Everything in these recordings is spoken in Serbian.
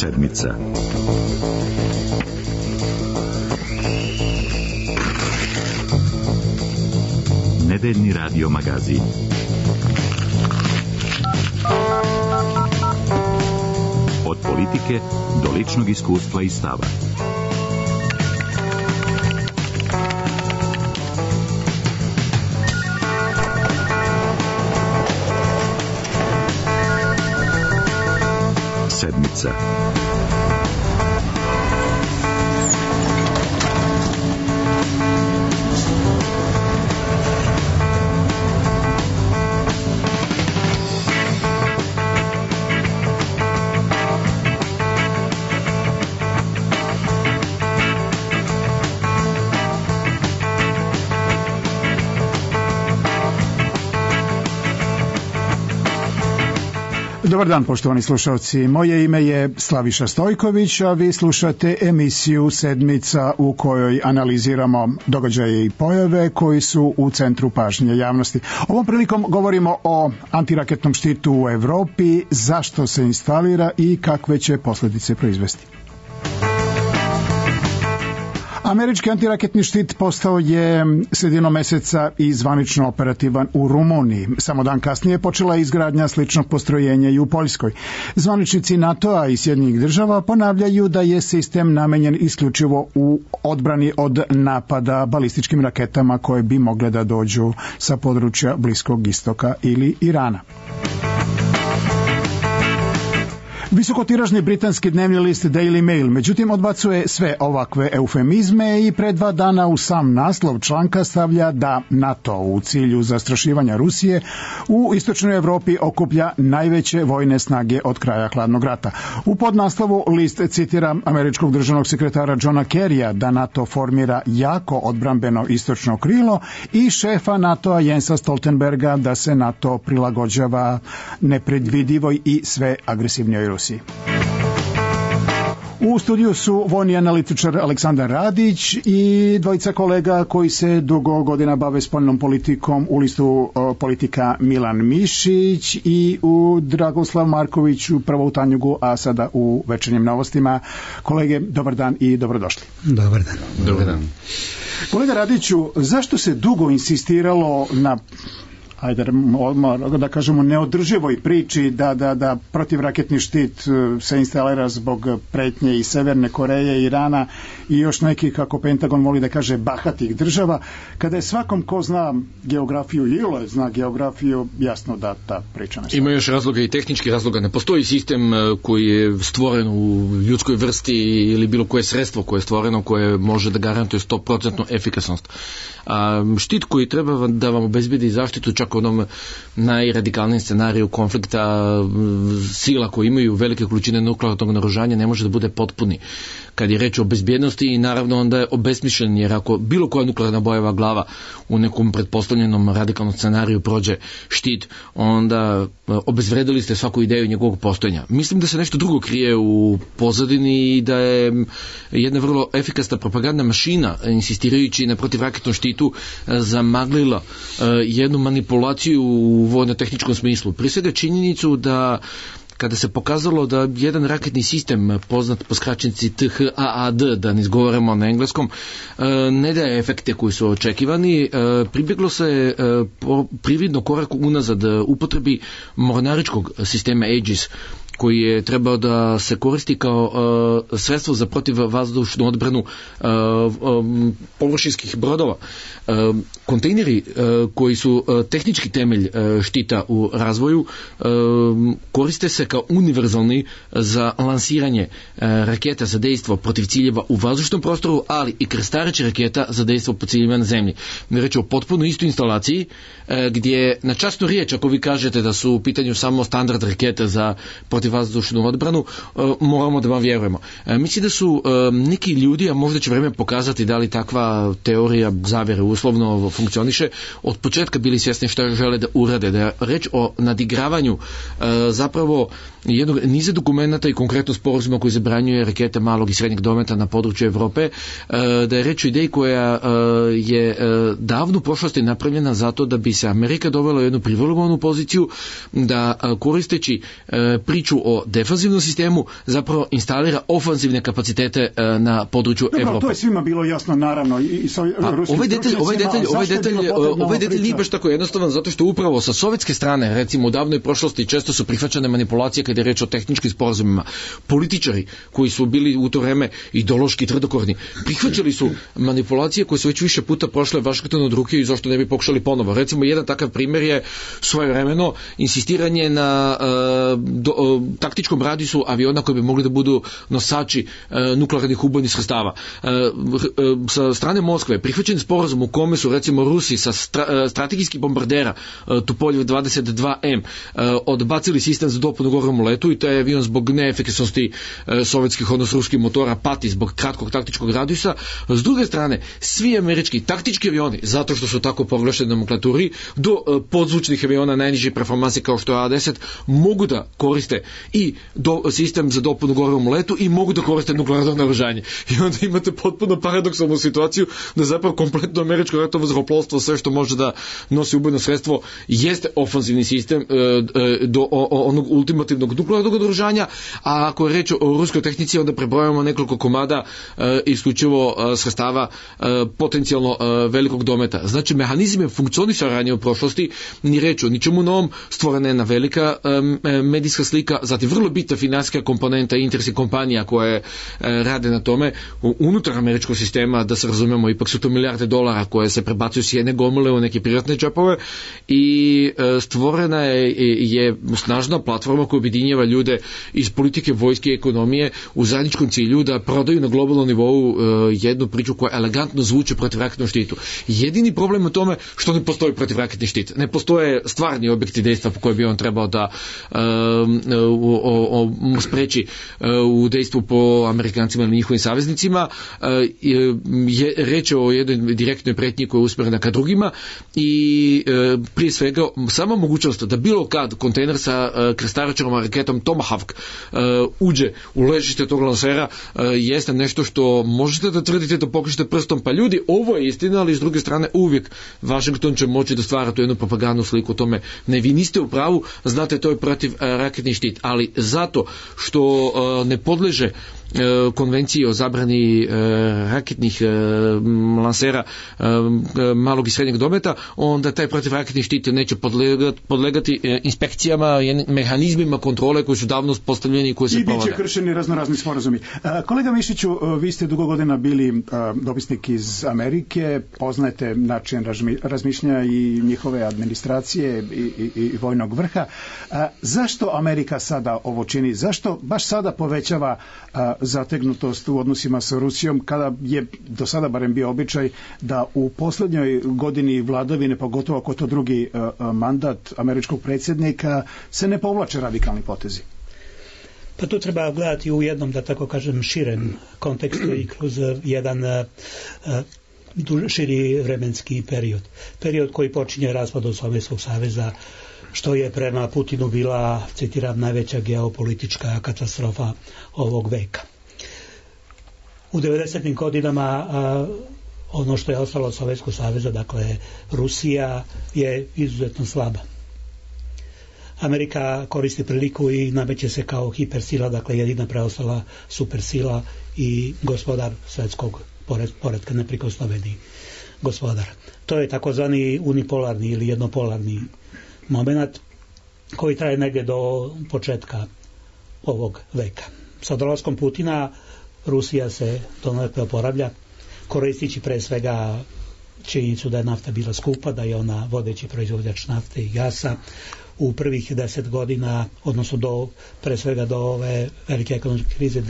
Sedmica. Nedeljni radio magazin. Od politike do ličnog iskustva i stava. Sedmica. Dobar dan, poštovani slušalci. Moje ime je Slaviša Stojković, a vi slušate emisiju Sedmica u kojoj analiziramo događaje i pojave koji su u centru pažnje javnosti. Ovom prilikom govorimo o antiraketnom štitu u Evropi, zašto se instalira i kakve će posljedice proizvesti. Američki antiraketni štit postao je sredinom meseca i zvanično operativan u Rumuniji. Samo dan kasnije počela je izgradnja sličnog postrojenja i u Poljskoj. Zvaničnici NATO-a i Sjedinjenih država ponavljaju da je sistem namenjen isključivo u odbrani od napada balističkim raketama koje bi mogle da dođu sa područja Bliskog istoka ili Irana. Visokotiražni britanski dnevni list Daily Mail međutim odbacuje sve ovakve eufemizme i pre 2 dana u sam naslov članka stavlja da NATO u cilju zastrašivanja Rusije u istočnoj Evropi okuplja najveće vojne snage od kraja hladnog rata. U podnaslovu list citira američkog državnog sekretara Johna Kerrya da NATO formira jako odbrambeno istočno krilo i šefa NATO-a Jensa Stoltenberga da se NATO prilagođava nepredvidivoj i sve agresivnijoj Rusiji. U studiju su vojni analitičar Aleksandar Radić i dvojica kolega koji se dugo godina bave spoljnom politikom u listu Politika Milan Mišić i u Dragoslav Marković prvo u Tanjugu, a sada u Večernjim novostima. Kolege, dobar dan i dobrodošli. Dobar dan. Dobar dan. Kolega Radiću, zašto se dugo insistiralo na da kažemo neodrživoj priči da protivraketni štit se instalira zbog pretnje i Severne Koreje, Irana i još nekih, kako Pentagon voli da kaže, bahatih država, kada je svakom ko zna geografiju ili zna geografiju, jasno da ta priča ne stoji. Ima još razloga i tehnički razloga. Ne postoji sistem koji je stvoren u ljudskoj vrsti ili bilo koje sredstvo koje je stvoreno koje može da garantuje 100% efikasnost. Štit koji treba da vam obezbedi zaštitu čak u onom najradikalnijem scenariju konflikta sila koji imaju velike količine nuklearnog naoružanja ne može da bude potpuni. Kad je reč o bezbjednosti i naravno onda je obesmišljen, jer ako bilo koja nuklearna bojeva glava u nekom pretpostavljenom radikalnom scenariju prođe štit, onda obezvredili ste svaku ideju njegovog postojanja. Mislim da se nešto drugo krije u pozadini i da je jedna vrlo efikasna propagandna mašina, insistirajući na protivraketnom štitu, zamaglila jednu manipulaciju u vojno-tehničkom smislu. Prije svega činjenicu da kada se pokazalo da jedan raketni sistem, poznat po skraćenici THAAD, da ne izgovaramo na engleskom, ne daje efekte koji su očekivani, pribjeglo se prividno korak unazad upotrebi mornaričkog sistema Aegis, koji je trebao da se koristi kao sredstvo za protivvazdušnu odbranu površinskih brodova. Kontejneri koji su tehnički temelj štita u razvoju koriste se kao univerzalni za lansiranje raketa za dejstvo protiv ciljeva u vazdušnom prostoru, ali i krstareće raketa za dejstvo po ciljevima na zemlji. Reč je o potpuno istoj instalaciji gdje na časnu riječ, ako vi kažete da su u pitanju samo standard raketa za protivvazdušnu odbranu, moramo da vam vjerujemo. Mislim da su neki ljudi, a možda će vreme pokazati da li takva teorija zavere uslovno funkcioniše, od početka bili svjesni šta žele da urade, da je reč o nadigravanju zapravo jednog niza dokumenata i konkretno sporazuma koji zabranjuje rakete malog i srednjeg dometa na području Evrope, da je reč o ideji koja je davno u prošlosti napravljena zato da bi se Amerika dovela u jednu privilegovanu poziciju da koristeći priču priču o defanzivnom sistemu zapravo instalira ofanzivne kapacitete na području Evrope. To je svima bilo jasno, naravno, i sa ruskim ovaj detalj nije baš tako jednostavan, zato što upravo sa sovjetske strane, recimo u davnoj prošlosti, često su prihvaćane manipulacije kada je reč o tehničkim sporazumima. Političari koji su bili u to vreme ideološki tvrdokorni, prihvaćali su manipulacije koje su već više puta prošle Vašingtonu od ruke i zašto ne bi pokušali ponovo. Recimo, jedan takav primjer je svojevremeno insistiranje na taktičkom radijusu aviona koji bi mogli da budu nosači nuklearnih ubojnih sredstava. Sa strane Moskve prihvaćen sporazum u kome su recimo Rusi sa strategijskih bombardera Tupolev 22M odbacili sistem za dopunu govorom u letu i taj avion zbog neefikasnosti sovjetskih, odnosno ruskih motora pati zbog kratkog taktičkog radijusa. S druge strane, svi američki taktički avioni, zato što su tako proglašeni nomenklaturi, do podzvučnih aviona najniže performanse kao što je A-10, mogu da koriste i sistem za dopunu govorom u letu i mogu da koriste nuklearno naoružanje. I onda imate potpuno paradoksalnu situaciju da zapravo kompletno američko ratovo zrakoplovstvo, sve što može da nosi ubojno sredstvo, jeste ofanzivni sistem do onog ultimativnog nuklearnog naoružanja, a ako je reč o ruskoj tehnici, onda prebrojamo nekoliko komada isključivo sredstava potencijalno velikog dometa. Znači, mehanizme funkcionisanja u prošlosti, ni reč o ničemu novom, stvorena je jedna velika medijska slika, zatim vrlo bitna finansijska komponenta i interesi kompanija koje rade na tome unutar američkog sistema, da se razumemo, ipak su to milijarde dolara koje se prebacuju s jedne gomile u neke privatne džepove i stvorena je snažna platforma koja objedinjava ljude iz politike, vojske i ekonomije u zajedničkom cilju da prodaju na globalnom nivou jednu priču koja elegantno zvuči protivraketnom štitu. Jedini problem u tome što ne postoji protivraketni štit. Ne postoje stvarni objekti dejstva po koje bi on trebao da spreči u dejstvu po Amerikancima ili njihovim saveznicima. Reč je o jednoj direktnoj pretnji koja je usmerena ka drugima i prije svega sama mogućnost da bilo kad kontejner sa krstaračerom raketom Tomahawk uđe u ležište tog lansera jeste nešto što možete da tvrdite, da pokažete prstom, pa ljudi, ovo je istina, ali s druge strane uvijek Washington će moći da stvara tu jednu propagandnu sliku o tome. Ne, vi niste u pravu, znate, to je protiv raketni štit, ali zato što ne podleže konvenciji o zabrani raketnih lansera malog i srednjeg dometa, onda taj protivraketni štit neće podlegati inspekcijama, mehanizmima kontrole koji su davno postavljeni i koji se provode. I biće kršeni raznorazni sporazumi. Kolega Mišiću, vi ste dugo godina bili dopisnik iz Amerike, poznajete način razmišljanja i njihove administracije i vojnog vrha. Zašto Amerika sada ovo čini? Zašto baš sada povećava zategnutost u odnosima sa Rusijom, kada je do sada barem bio običaj da u posljednjoj godini vladavine, pogotovo ako to drugi mandat američkog predsjednika, se ne povlače radikalni potezi? Pa to treba gledati u jednom, da tako kažem, širem kontekstu i kroz jedan širi vremenski period. Period koji počinje raspadom Sovjetskog saveza, što je prema Putinu bila, citiram, najveća geopolitička katastrofa ovog veka. U 90. godinama ono što je ostalo od Sovjetskog saveza, dakle Rusija, je izuzetno slaba. Amerika koristi priliku i nameće se kao hipersila, dakle jedina preostala supersila i gospodar svetskog poretka, neprikosnoveni gospodar. To je takozvani unipolarni ili jednopolarni moment koji traje negdje do početka ovog veka. Sa dolaskom Putina Rusija se donekle oporavlja, koristići pre svega činjenicu da je nafta bila skupa, da je ona vodeći proizvođač nafte i gasa. U prvih 10 godina, odnosno pre svega do ove velike ekonomske krize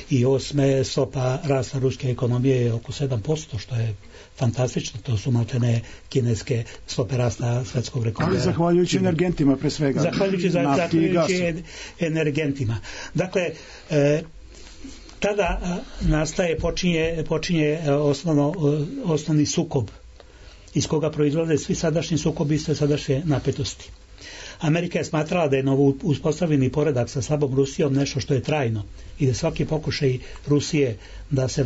2008. stopa rasta ruske ekonomije je oko 7%, što je fantastično. To su maltene kineske stope rasta svetskog rekorda. Ali zahvaljujući energentima pre svega. Zahvaljujući energentima. Dakle, tada počinje osnovni sukob iz koga proizlaze svi sadašnji sukobi i sve sadašnje napetosti. Amerika je smatrala da je novo uspostavljeni poredak sa slabom Rusijom nešto što je trajno i da svaki pokušaj Rusije da se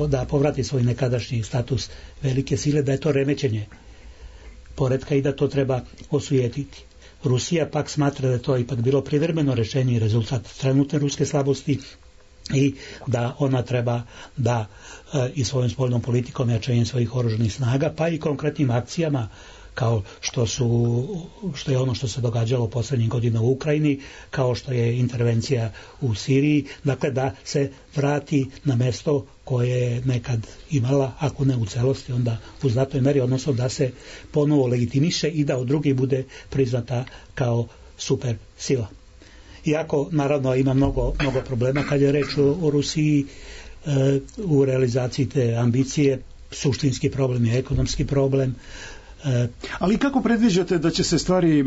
da povrati svoj nekadašnji status velike sile, da je to remećenje poretka i da to treba osujetiti. Rusija pak smatra da je to ipak bilo privremeno rešenje i rezultat trenutne ruske slabosti i da ona treba da i svojom spoljnom politikom, jačanjem svojih oružanih snaga, pa i konkretnim akcijama kao što je ono što se događalo poslednjih godina u Ukrajini, kao što je intervencija u Siriji, dakle da se vrati na mesto koje je nekad imala, ako ne u celosti, onda u znatnoj meri, odnosno da se ponovo legitimiše i da od drugih bude priznata kao super sila. Iako, naravno, ima mnogo problema kad je reč o Rusiji u realizaciji te ambicije, suštinski problem je ekonomski problem. Ali kako predviđate da će se stvari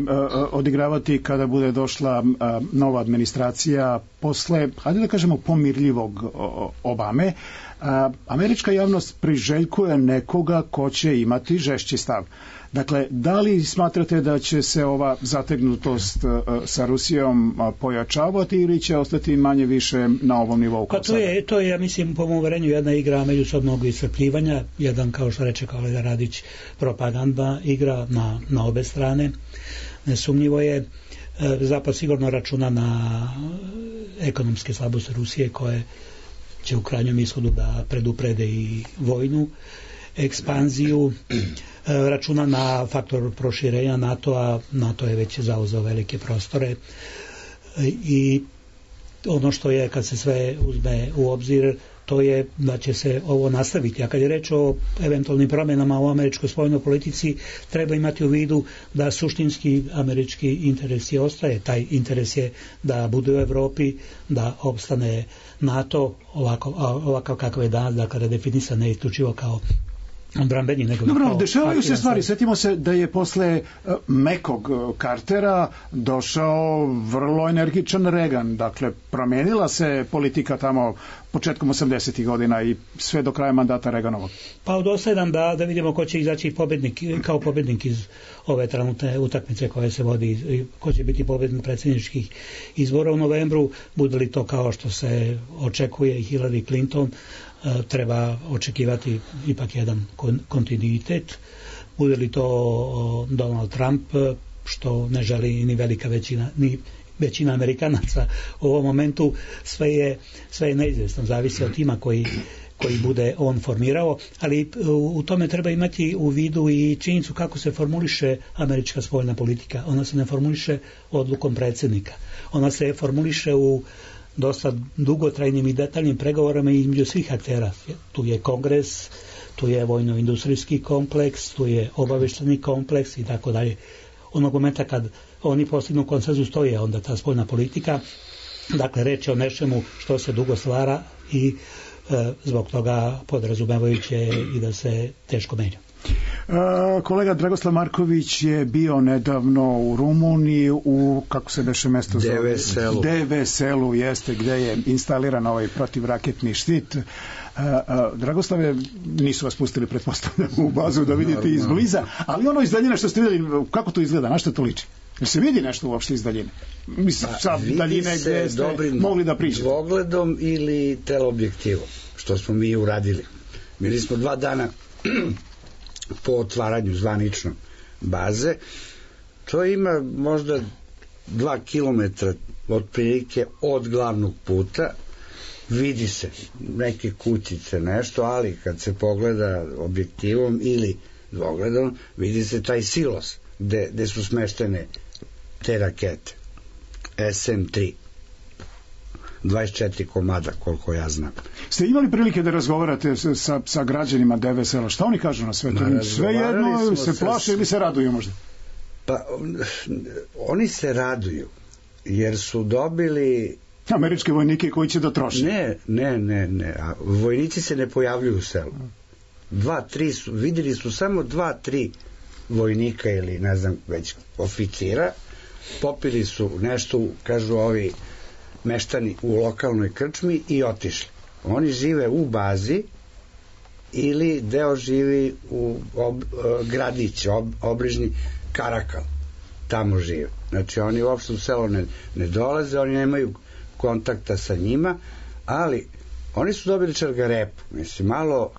odigravati kada bude došla nova administracija posle, hajde da kažemo, pomirljivog Obame? Američka javnost priželjkuje nekoga ko će imati žešći stav. Dakle, da li smatrate da će se ova zategnutost sa Rusijom pojačavati ili će ostati manje više na ovom nivou? Pa to je, ja mislim, po mom uverenju jedna igra međusobnog iscrpljivanja, jedan, kao što reče kolega Radić, propaganda igra na obe strane. Nesumnjivo je, Zapad sigurno računa na ekonomske slabosti Rusije koje će u krajnjem ishodu da preduprede i vojnu ekspanziju, računa na faktor proširenja NATO-a. NATO je već zauzeo velike prostore i ono što je, kad se sve uzme u obzir, to je da će se ovo nastaviti. A kad je reč o eventualnim promjenama u američkoj spoljnoj politici, treba imati u vidu da suštinski američki interes je ostaje. Taj interes je da bude u Evropi, da opstane NATO ovakav kakav je danas, dakle redefinisan ne isključivo kao odbrambeni, nego dobro, dešavaju se stvari. Sjetimo se da je posle mekog Cartera došao vrlo energičan Reagan. Dakle, promenila se politika tamo početkom 80. godina i sve do kraja mandata Reaganovog. Pa od 8 da vidimo ko će izaći kao pobednik iz ove trenutne utakmice koje se vodi, ko će biti pobednik predsjedničkih izbora u novembru. Bude li to kao što se očekuje i Hillary Clinton, treba očekivati ipak jedan kontinuitet. Bude li to Donald Trump, što ne želi ni velika većina, ni većina Amerikanaca u ovom momentu, sve je neizvjesno, zavisi od tima koji bude on formirao, ali u tome treba imati u vidu i činjenicu kako se formuliše američka spoljna politika. Ona se ne formuliše odlukom predsjednika. Ona se formuliše u dosta dugotrajnim i detaljnim pregovorama između svih aktera. Tu je Kongres, tu je vojno-industrijski kompleks, tu je obavešteni kompleks i tako dalje. Onog momenta kad oni postignu konsenzus, to je onda ta spoljna politika. Dakle, reč je o nečemu što se dugo stvara i zbog toga podrazumevajuće i da se teško menja. Kolega Dragoslav Marković je bio nedavno u Rumuniji u, kako se beše mesto zove? DV-selu, jeste, gde je instaliran ovaj protivraketni štit. Dragoslave, nisu vas pustili, pretpostavljam, u bazu da vidite izbliza, ali ono iz daljine što ste vidjeli, kako to izgleda, na što to liči? Jer se vidi nešto uopšte iz daljine? Mislim, sa daljine gde ste mogli da pričate. Dvogledom ili teleobjektivom, što smo mi uradili. Bili smo 2 dana po otvaranju zvanično baze. To ima možda 2 kilometra otprilike od glavnog puta. Vidi se neke kutice, nešto, ali kad se pogleda objektivom ili dvogledom, vidi se taj silos gde su smeštene te rakete SM-3. 24 komada, koliko ja znam. Ste imali prilike da razgovarate sa građanima DV-sela? Šta oni kažu na sve to? Sve jedno se plaše ili se raduju možda? Pa, oni se raduju, jer su dobili američke vojnike koji će da troše. Ne. Vojnici se ne pojavljuju u selu. 2-3 su, videli su samo 2-3 vojnika ili ne znam već oficira, popili su nešto, kažu ovi meštani, u lokalnoj krčmi i otišli. Oni žive u bazi ili deo živi u gradić, obližnji Karakal, tamo žive. Znači oni uopšte u selo ne dolaze, oni nemaju kontakta sa njima, ali oni su dobili čargarepu, mislim, malo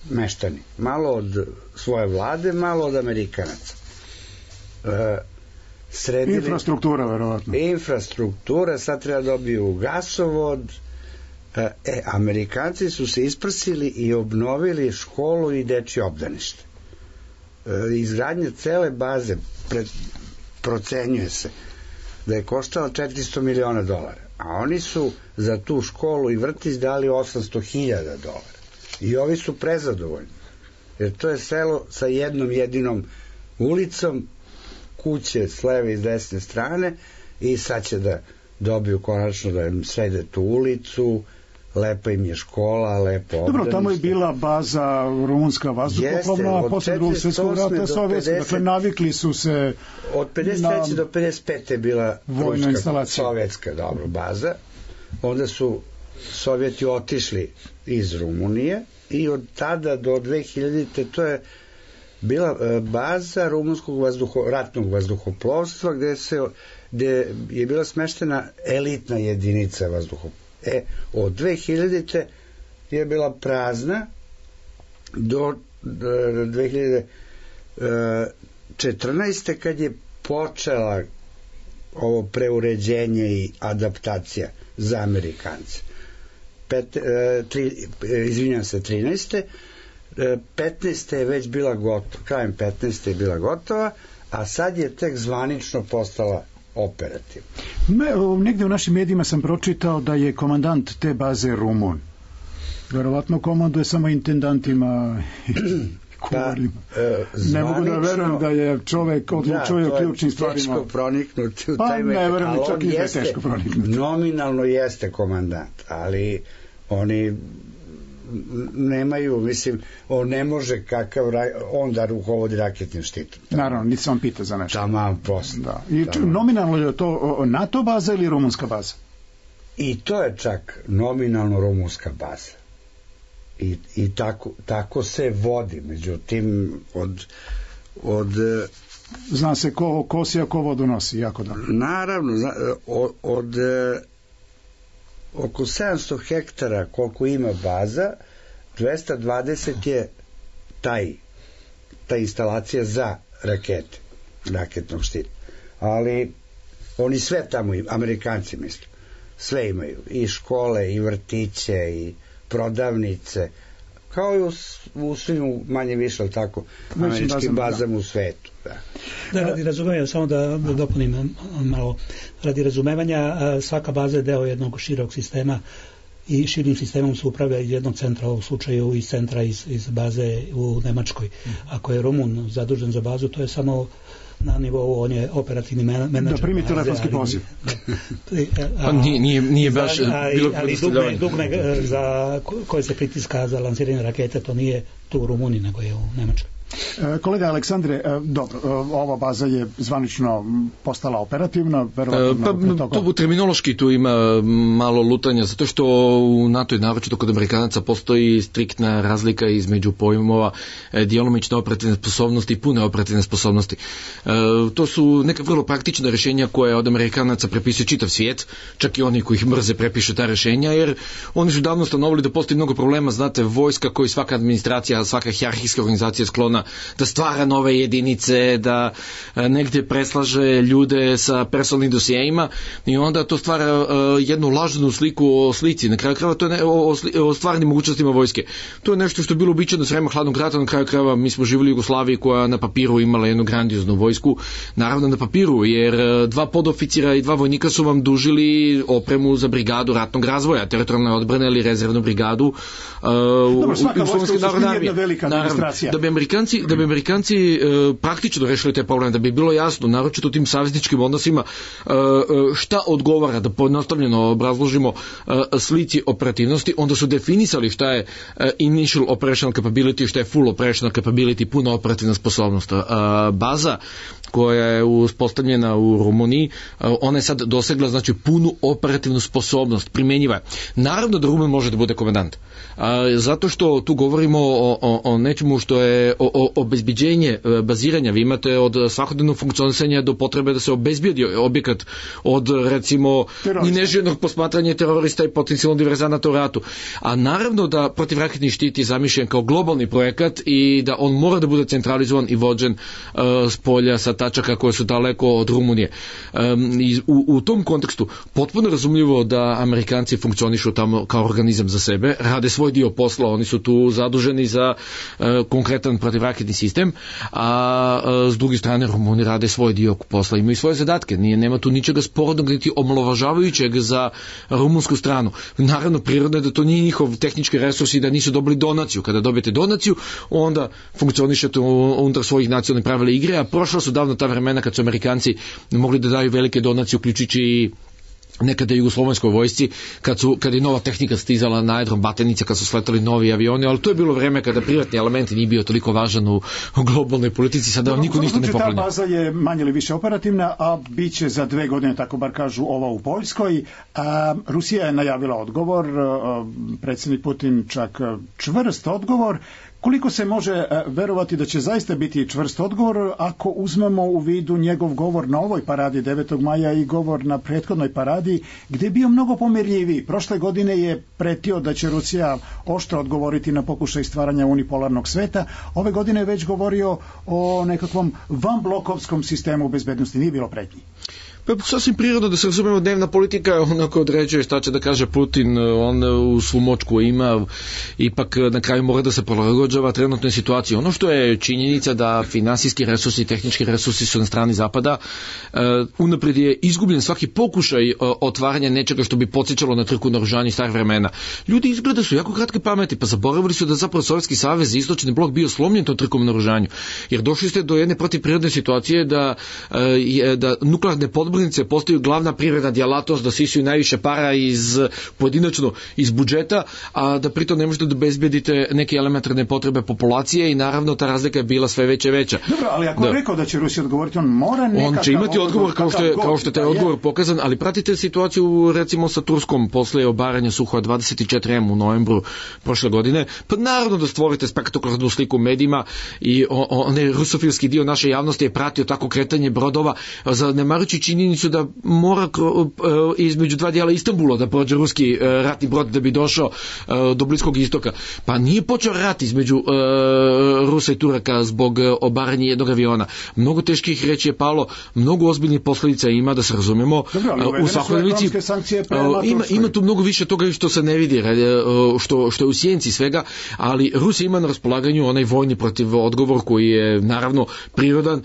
meštani, malo od svoje vlade, malo od Amerikanaca. sredili... Infrastruktura, verovatno. Infrastruktura, sad treba dobiju gasovod. Amerikanci su se isprsili i obnovili školu i dečje obdanište. Izgradnja cele baze procenjuje se da je koštalo $400 miliona, a oni su za tu školu i vrtić dali $800.000. I ovi su prezadovoljni, jer to je selo sa jednom jedinom ulicom, kuće s leve i s desne strane, i sad će da dobiju konačno da im srede tu ulicu, lepa im je škola, lepo obdanište. Dobro, tamo je bila baza rumunska vazduhoplovna, a posle Drugog svjetskog rata sovjetska, dakle navikli su se... Od 53. do 55. je bila vojna instalacija, sovjetska baza, onda su Sovjeti otišli iz Rumunije i od tada do 2000. to je bila baza rumunskog ratnog vazduhoplovstva gde je bila smeštena elitna jedinica vazduhoplovstva. Od 2000. je bila prazna do 2014. kad je počela ovo preuređenje i adaptacija za Amerikance. 13. 15. je već bila gotova, krajem 15. je bila gotova, a sad je tek zvanično postala operativno. Negde u našim medijima sam pročitao da je komandant te baze Rumun. Verovatno komanduje samo intendantima i kuvarima. Ne mogu da verujem da je čovek odlučuje o ključnim stvarima. Teško proniknuti u taj metak. Ne verujem, čak i je teško proniknuti. Nominalno jeste komandant, ali oni nemaju, mislim, on ne može kakav on da rukovodi raketnim štitom. Naravno, niti se on pita za nešto. Taman prosto. Da. I nominalno je to NATO baza ili rumunska baza? I to je čak nominalno rumunska baza. I tako se vodi. Međutim, od zna se ko kosi, a ko vodu nosi, jako dobro. Naravno, od oko 700 hektara koliko ima baza, 220 je ta instalacija za rakete, raketnog štita. Ali oni sve tamo, Amerikanci mislim, sve imaju, i škole, i vrtiće, i prodavnice, kao i u svim manje više, tako, američkim bazama u svetu. Da, radi razumevanja, samo da dopunim malo, radi razumevanja, svaka baza je deo jednog širog sistema i širim sistemom se upravlja iz jednog centra, u slučaju iz centra iz baze u Nemačkoj. Ako je Rumun zadužen za bazu, to je samo na nivou, on je operativni menadžer. Da primi telefonski poziv. Nije baš... Ali dugme za koje se pritiska za lansiranje rakete, to nije tu u Rumuniji, nego je u Nemačkoj. Kolega Aleksandre, dobro, ova baza je zvanično postala operativna, verovatno to terminološki tu ima malo lutanja, zato što u NATO i naročito kod Amerikanaca postoji striktna razlika između pojmova djelomične operativne sposobnosti i pune operativne sposobnosti. To su neka vrlo praktična rješenja koje od Amerikanaca prepisuje čitav svijet, čak i oni koji ih mrze prepišu ta rješenja, jer oni su davno stanovili da postoji mnogo problema, znate, vojska koji svaka administracija, svaka hijerarhijska organizacija je sklona da stvara nove jedinice, da negdje preslaže ljude sa personalnim dosijejima i onda to stvara jednu lažnu sliku o slici. Na kraju krajeva to je o stvarnim mogućnostima vojske. To je nešto što je bilo uobičajeno s vremena hladnog rata. Na kraju krajeva mi smo živjeli u Jugoslaviji koja na papiru imala jednu grandioznu vojsku. Naravno na papiru, jer 2 podoficira i 2 vojnika su vam dužili opremu za brigadu ratnog razvoja, teritorijalne odbrane ili rezervnu brigadu u Slovenskoj narodnoj armiji. Da bi Amerikanci praktično rešili te probleme, da bi bilo jasno, naročito u tim savezničkim odnosima, šta odgovara, da pojednostavljeno obrazložimo slici operativnosti, onda su definisali šta je initial operational capability, šta je full operational capability, puna operativna sposobnost. Baza koja je uspostavljena u Rumuniji, ona je sad dosegla, znači, punu operativnu sposobnost, primjenjiva. Naravno da Rumun može da bude komandant, zato što tu govorimo o nečemu što je obezbeđenje baziranja. Vi imate od svakodnevnog funkcionisanja do potrebe da se obezbedi objekat od, recimo, i neželjenog posmatranja terorista i potencijalno diverzanata u ratu. A naravno da protivraketni štit je zamišljen kao globalni projekat i da on mora da bude centralizovan i vođen s polja sa tačaka koje su daleko od Rumunije. U tom kontekstu potpuno razumljivo da Amerikanci funkcionišu tamo kao organizam za sebe, rade svoj dio posla, oni su tu zaduženi za konkretan protivraketni sistem, a s druge strane Rumuni rade svoj dio posla, imaju svoje zadatke, nema tu ničega sporodnog niti omalovažavajućeg za rumunsku stranu. Naravno, prirodno je da to nije njihov tehnički resurs i da nisu dobili donaciju. Kada dobijete donaciju, onda funkcionišete unutar svojih nacionalnih pravila igre, a prošla su davno ta vremena kad su Amerikanci mogli da daju velike donacije, uključujući i nekada jugoslovenskoj vojsci, kad je nova tehnika stizala na aerodrom Batenica, kad su sletali novi avioni, ali to je bilo vreme kada privatni element nije bio toliko važan u globalnoj politici, sada vam niko ništa ne poklanja. Ta baza je manje ili više operativna, a bit će za 2 godine, tako bar kažu, ova u Poljskoj. Rusija je najavila odgovor, predsjednik Putin čak čvrst odgovor. Koliko se može verovati da će zaista biti čvrst odgovor ako uzmemo u vidu njegov govor na ovoj paradi 9. maja i govor na prethodnoj paradi, gdje je bio mnogo pomirljiviji. Prošle godine je pretio da će Rusija oštro odgovoriti na pokušaj stvaranja unipolarnog sveta. Ove godine je već govorio o nekakvom vanblokovskom sistemu bezbednosti. Nije bilo pretnji. Pa sasvim prirodno da se razumemo, dnevna politika onako određuje šta će da kaže Putin, on u svu moć koju ima ipak na kraju mora da se prilagođava trenutnoj situaciji. Ono što je činjenica da finansijski resursi i tehnički resursi su na strani Zapada, unaprijed je izgubljen svaki pokušaj otvaranja nečega što bi podsjećalo na trku naoružanja starih vremena. Ljudi izgleda su jako kratke pameti, pa zaboravili su da zapravo Sovjetski savez i istočni blok bio slomljen tom trkom naoružanju. Jer došli ste do jedne protivprirodne situacije da nuklearne podmornice postaju glavna privredna djelatnost, da sisuju najviše para pojedinačno iz budžeta, a da pritom ne možete da obezbedite neke elementarne potrebe populacije i naravno ta razlika je bila sve veća i veća. Dobro, ali ako je rekao da će Rusija odgovoriti, on mora nekakav... On će imati odgovor kao što je taj odgovor pokazan, ali pratite situaciju recimo sa Turskom posle obaranja Suhoja 24M u novembru prošle godine, pa naravno da stvorite spektakularnu sliku u medijima i onaj rusofilski dio naše javnosti je pratio tako kretanje brodova, zanemarujući činjenicu da mora između 2 dijela Istanbula da prođe ruski ratni brod da bi došao do Bliskog istoka. Pa nije počeo rat između Rusa i Turaka zbog obaranja jednog aviona. Mnogo teških reći je palo, mnogo ozbiljnih posljedica ima, da se razumemo. U svakodnevici ima tu mnogo više toga što se ne vidi, što je u sjenci svega, ali Rusija ima na raspolaganju onaj vojni protiv odgovor koji je naravno prirodan,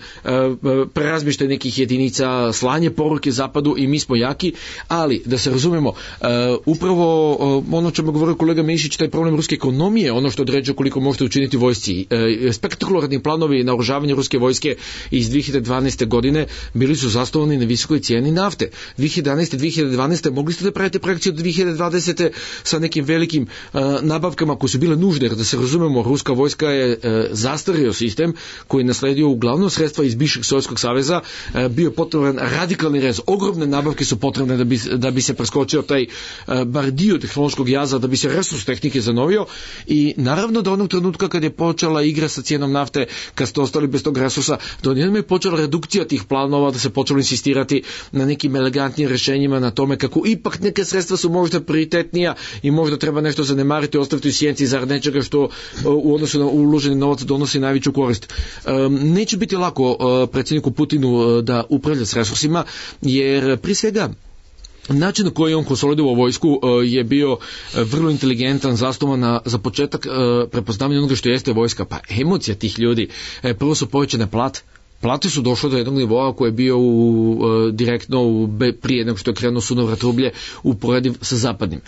prerazmještaj nekih jedinica, slanje poruke Zapadu i mi smo jaki, ali da se razumemo, upravo ono čemu govorio kolega Mišić, taj problem ruske ekonomije, ono što određuje koliko možete učiniti vojsci. Spektakularni planovi naoružavanja ruske vojske iz 2012. godine bili su zasnovani na visokoj cijeni nafte. 2011. 2012. mogli ste da pravite projekciju od 2020. sa nekim velikim nabavkama koje su bile nužne, jer da se razumemo, ruska vojska je zastario sistem koji je nasledio uglavnom sredstva iz bivšeg Sovjetskog saveza, bio potreban radikalni rez. Ogromne nabavke su potrebne da bi se preskočio taj bar dio tehnološkog jaza, da bi se resurs tehnike zanovio i naravno da onog trenutka kad je počela igra sa cijenom nafte, kad ste ostali bez tog resursa, da odjednom je počela redukcija tih planova, da se počelo insistirati na nekim elegantnim rješenjima, na tome kako ipak neke sredstva su možda prioritetnija i možda treba nešto zanemariti, ostaviti u sjenci zarad nečega što u odnosu na uloženi novac donosi najveću korist. Neće biti lako predsjedniku Putinu da upravlja s resursima, jer prije svega način na koji je on konsolidovao vojsku je bio vrlo inteligentan, zasnovan za početak prepoznavanja onoga što jeste vojska, pa emocija tih ljudi. Prvo su povećane plate su došle do jednog nivoa koji je bio direktno prije nego što je krenuo sunovrat rublje uporediv sa zapadnim.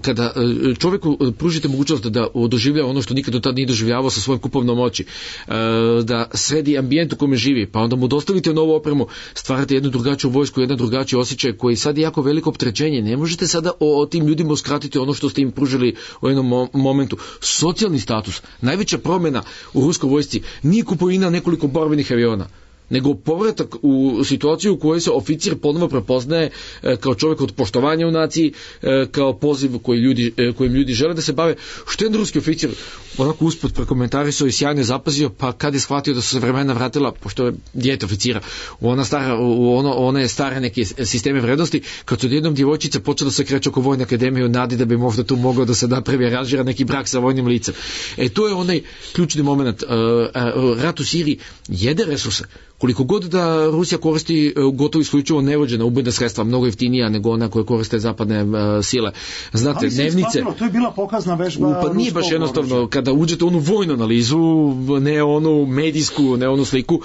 Kada čovjeku pružite mogućnost da doživlja ono što nikad do tada nije doživljavao sa svojom kupovnom moći, da sredi ambijent u kome živi, pa onda mu dostavite novu opremu, stvarate jednu drugačiju vojsku, jedan drugačiji osjećaj koji sad je jako veliko opterećenje. Ne možete sada o tim ljudima uskratiti ono što ste im pružili u jednom momentu. Socijalni status, najveća promjena u ruskoj vojsci nije kupovina nekoliko borbenih aviona. nego povratak u situaciju u kojoj se oficir ponovo prepoznaje kao čovjek od poštovanja u naciji, kao poziv kojim ljudi žele da se bave. Što je ruski oficir onako usput prekomentarisao i sjajno je zapazio, pa kad je shvatio da su se vremena vratila, pošto je dijete oficira, u one stare neke sisteme vrednosti, kad su jednom djevojčica počela da se kreće oko vojne akademije u nadi da bi možda tu mogao da se napravi aranžira neki brak sa vojnim licem. To je onaj ključni moment. Rat u Siriji jede resurse. Koliko god da Rusija koristi gotovo isključivo nevođena ubojna sredstva, mnogo jeftinija nego ona koje koriste zapadne sile. Znate, dnevnice... To je bila pokazna vežba... Pa nije baš jednostavno, kada uđete u onu vojnu analizu, ne onu medijsku, ne onu sliku,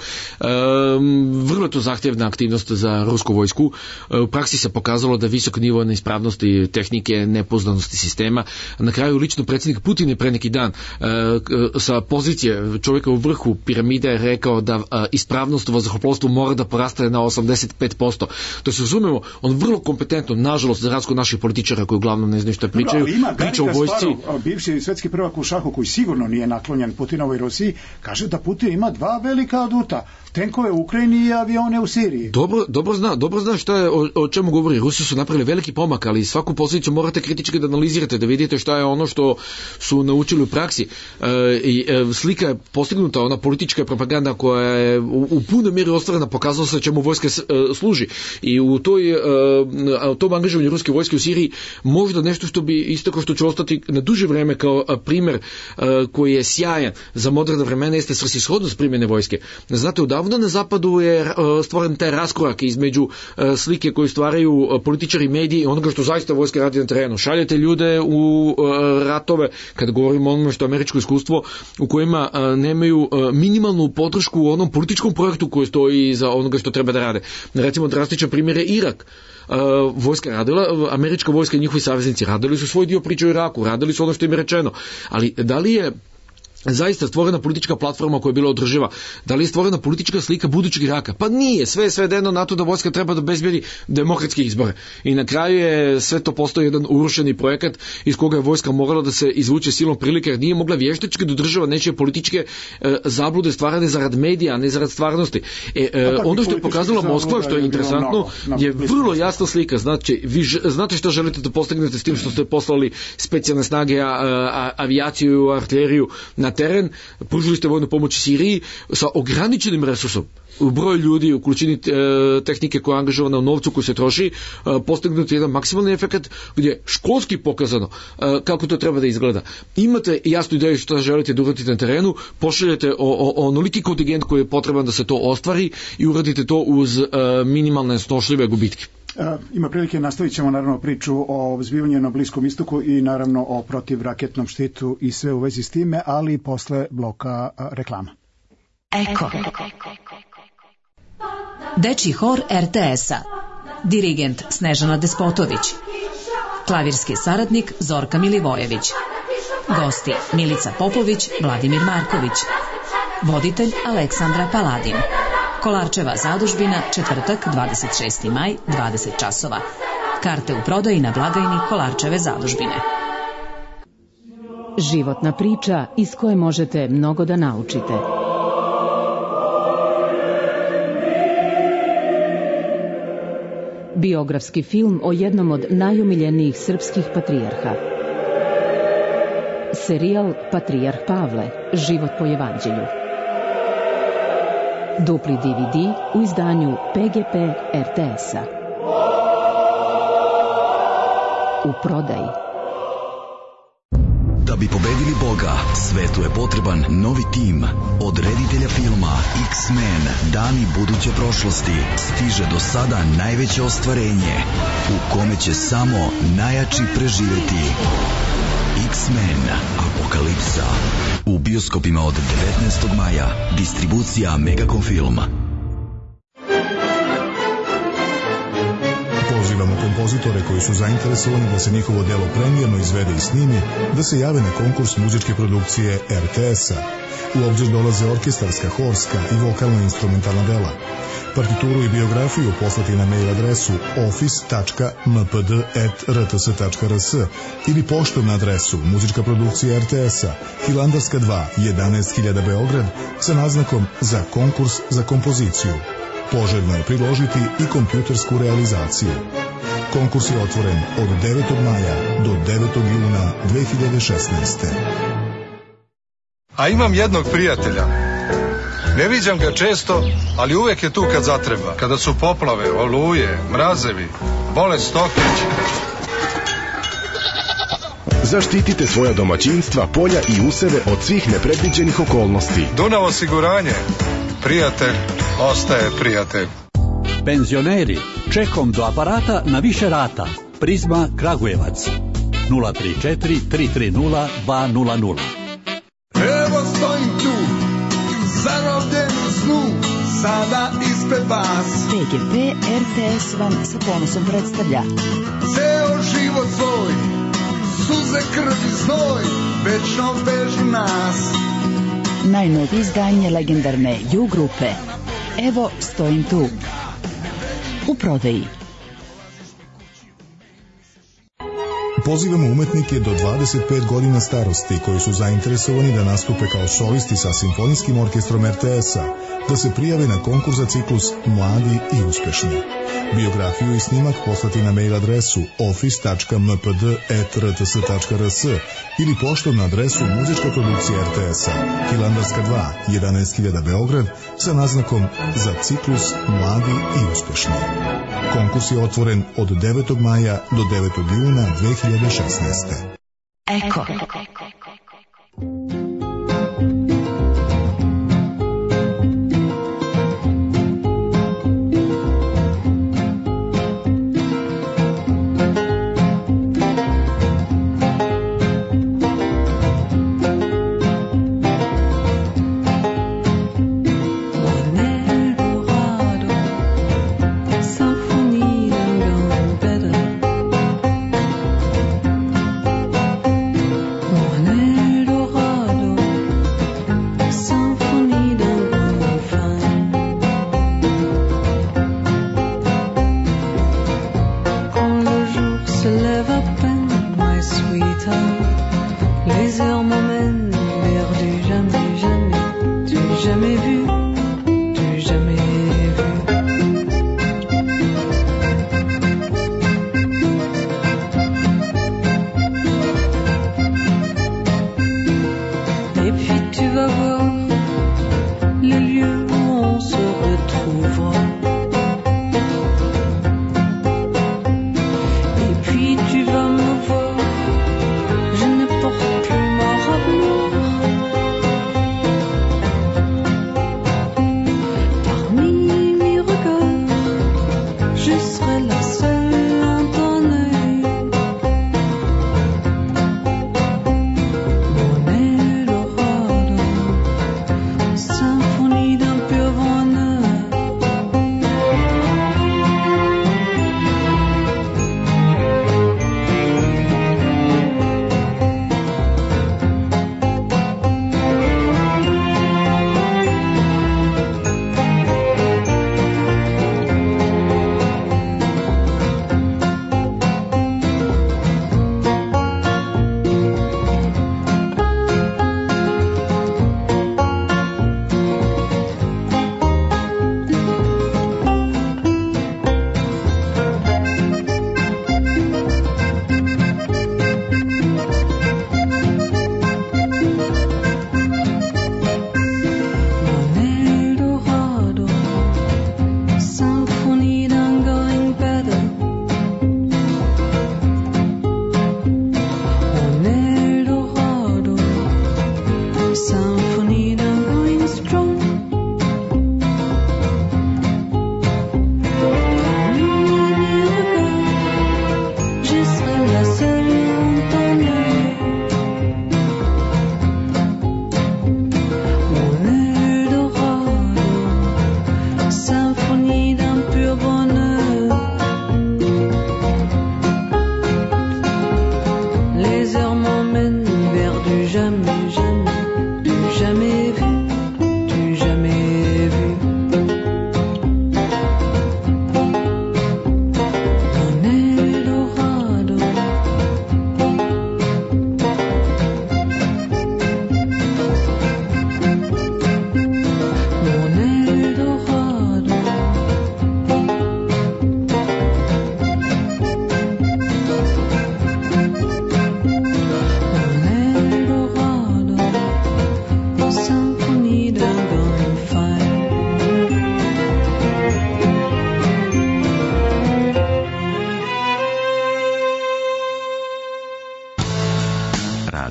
vrlo je to zahtjevna aktivnost za rusku vojsku. U praksi se pokazalo da visok nivo neispravnosti tehnike, nepoznanosti sistema. Na kraju lično predsjednik Putin je pre neki dan sa pozicije čovjeka u vrhu piramide je rekao da ispravnost u vazduhoplovstvu mora da poraste na 85%. To se razumemo, on vrlo kompetentno, nažalost, za razliku naših političara koji uglavnom ne znaju šta pričaju, priča o vojsci. Bivši svetski prvak u šahu koji sigurno nije naklonjen Putinovoj Rusiji, kaže da Putin ima 2 velika aduta, tenkove u Ukrajini i avione u Siriji. Dobro zna šta je, o čemu govori. Rusi su napravili veliki pomak, ali svaku posljedicu morate kritički da analizirate, da vidite šta je ono što su naučili u praksi. Slika je postignuta, ona politička propaganda koja je u punoj mjeri ostvarena, pokazalo se čemu vojska služi. I u tom angažovanju ruske vojske u Siriji možda nešto što bi isto kao što će ostati na duže vreme kao primjer koji je sjajan za moderna vremena jeste svrsishodnost primjene vojske. Znate, odavno na zapadu je stvoren taj raskorak između slike koju stvaraju političari i mediji i onoga što zaista vojska radi na terenu. Šaljete ljude u ratove, kad govorimo o onome što je američko iskustvo, u kojima nemaju minimalnu podršku u onom političkom projektu koji stoji iza onoga što treba da rade. Recimo, drastičan primjer je Irak. Vojska radila, američka vojska i njihovi saveznici radili su svoj dio priče u Iraku, radili su ono što im je rečeno. Ali da li je zaista stvorena politička platforma koja je bila održiva? Da li je stvorena politička slika budućeg Iraka? Pa nije, sve je svedeno na to da vojska treba da obezbedi demokratske izbore. I na kraju je sve to postao jedan urušeni projekat iz koga je vojska morala da se izvuče silom prilike, jer nije mogla vještački da održava nečije političke zablude stvarane zarad medija, a ne zarad stvarnosti. Ono što je pokazala Moskva, što je interesantno, je vrlo jasna slika. Znači, vi znate šta želite da postignete s tim što ste poslali specijalne snage, avijaciju, artiljeriju na teren, pružili ste vojnu pomoć Siriji sa ograničenim resursom u broju ljudi, u količini tehnike koja je angažovana, u novcu koji se troši, postignuti jedan maksimalni efekt gdje je školski pokazano kako to treba da izgleda. Imate jasnu ideju što želite da uradite na terenu, pošaljete onoliki kontingent koji je potreban da se to ostvari i uradite to uz minimalne snošljive gubitke. Ima prilike, nastavit ćemo naravno priču o zbivanju na Bliskom istoku i naravno o protivraketnom štitu i sve u vezi s time, ali posle bloka reklama. Eko. Dečji hor RTS-a. Dirigent Snežana Despotović. Klavirski saradnik Zorka Milivojević. Gosti Milica Popović, Vladimir Marković. Voditelj Aleksandra Paladin. Kolarčeva zadužbina, četvrtak, 26. maj, 20 časova. Karte u prodaji na blagajni Kolarčeve zadužbine. Životna priča iz koje možete mnogo da naučite. Biografski film o jednom od najomiljenijih srpskih patrijarha. Serijal Patrijarh Pavle, život po evanđelju. Dupli DVD u izdanju PGP RTS-a. U prodaji. Da bi pobedili Boga, svetu je potreban novi tim. Od reditelja filma X-Men, dani buduće prošlosti, stiže do sada najveće ostvarenje, u kome će samo najjači preživjeti. X-Men Apokalipsa. U bioskopima od 19. maja. Distribucija Megacom Film. Pozivamo kompozitore koji su zainteresovani da se njihovo delo premijerno izvede i snimi, da se jave na konkurs muzičke produkcije RTS-a. U obzir dolaze orkestarska, horska i vokalno-instrumentalna dela. Partituru i biografiju poslati na mail adresu office.mpd@rts.rs ili poštom na adresu Muzička produkcija RTS-a, Hilandarska 2, 11.000 Beograd, sa naznakom za konkurs za kompoziciju. Poželjno je priložiti i kompjutersku realizaciju. Konkurs je otvoren od 9. maja do 9. juna 2016. A imam jednog prijatelja. Ne viđam ga često, ali uvek je tu kad zatreba. Kada su poplave, oluje, mrazevi, bolest stoke. Zaštitite svoja domaćinstva, polja i useve od svih nepredviđenih okolnosti. Dunav osiguranje. Prijatelj ostaje prijatelj. Penzioneri, čekom do aparata na više rata. Prizma Kragujevac 034 330 200. Evo stojim tu, zarobljen u snu, sada ispred vas. PGP RTS vam sa ponosom predstavlja Ceo život svoj, suze, krv i znoj, večno vežu nas. najnovije izdanje legendarne U grupe. Evo stojim tu. U prodaji. Pozivamo umetnike do 25 godina starosti koji su zainteresovani da nastupe kao solisti sa Simfonijskim orkestrom RTS-a, da se prijave na konkurs za ciklus Mladi i uspešni. Biografiju i snimak poslati na mail adresu office.mpd@rts.rs ili poštom na adresu Muzička produkcija RTS-a, Hilandarska 2, 11.000 Beograd, sa naznakom za ciklus Mladi i uspešni. Konkurs je otvoren od 9. maja do 9. juna 2016. Eko.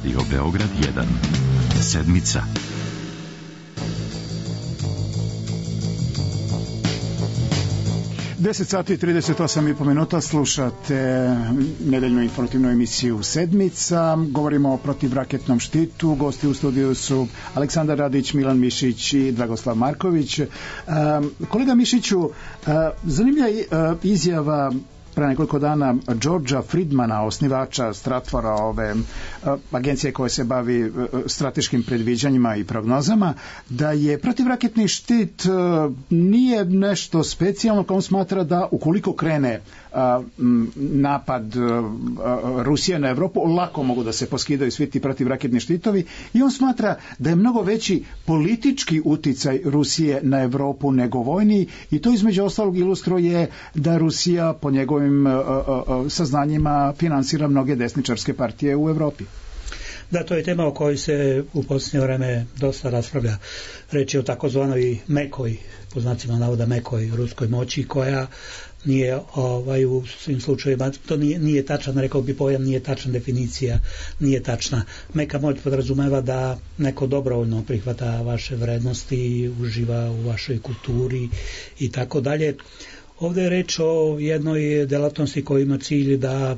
Radio Beograd 1. Sedmica. Deset sati i 38,5 minuta, slušate nedeljnu informativnu emisiju Sedmica. Govorimo o protivraketnom štitu. Gosti u studiju su Aleksandar Radić, Milan Mišić i Dragoslav Marković. Kolega Mišiću, zanimljiva izjava pre nekoliko dana Georgea Friedmana, osnivača Stratvora, ove agencije koja se bavi strateškim predviđanjima i prognozama, da je protivraketni štit nije nešto specijalno, kao on smatra da ukoliko krene napad Rusije na Evropu, lako mogu da se poskidaju svi ti protivraketni štitovi, i on smatra da je mnogo veći politički uticaj Rusije na Evropu nego vojni, i to između ostalog ilustruje da Rusija po njegovim saznanjima finansira mnoge desničarske partije u Evropi. Da, to je tema o kojoj se u posljednje vreme dosta raspravlja. Reč je o takozvanoj mekoj, po znacima navoda mekoj ruskoj moći, koja nije u svim slučajevima, to nije tačan, rekao bi pojam, nije tačna definicija, nije tačna. Meka moć podrazumeva da neko dobrovoljno prihvata vaše vrednosti, uživa u vašoj kulturi i tako dalje. Ovdje je reč o jednoj delatnosti koja ima cilj da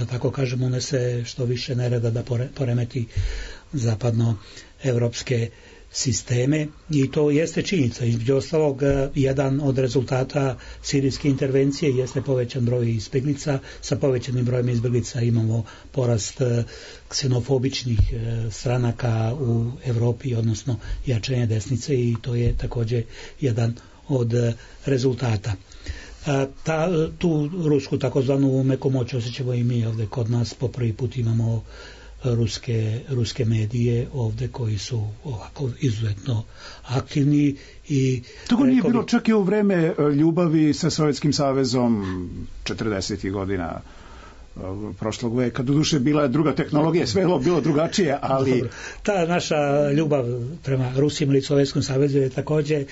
tako kažem, unese što više nereda, da poremeti zapadnoevropske sisteme, i to jeste činjenica. Između ostalog, jedan od rezultata sirijske intervencije jeste povećan broj izbjeglica. Sa povećanim brojem izbjeglica imamo porast ksenofobičnih stranaka u Evropi, odnosno jačanje desnice, i to je također jedan od rezultata. Tu rusku takozvanu meku moć osjećamo i mi ovdje kod nas. Po prvi put imamo ruske medije ovdje koji su ovako izuzetno aktivni. I tako nije bilo čak i u vreme ljubavi sa Sovjetskim savezom 40. godina prošlog veka. Doduše bila je druga tehnologija, sve je bilo drugačije, ali... Dobro. Ta naša ljubav prema Rusiji ili Sovjetskom savezu je također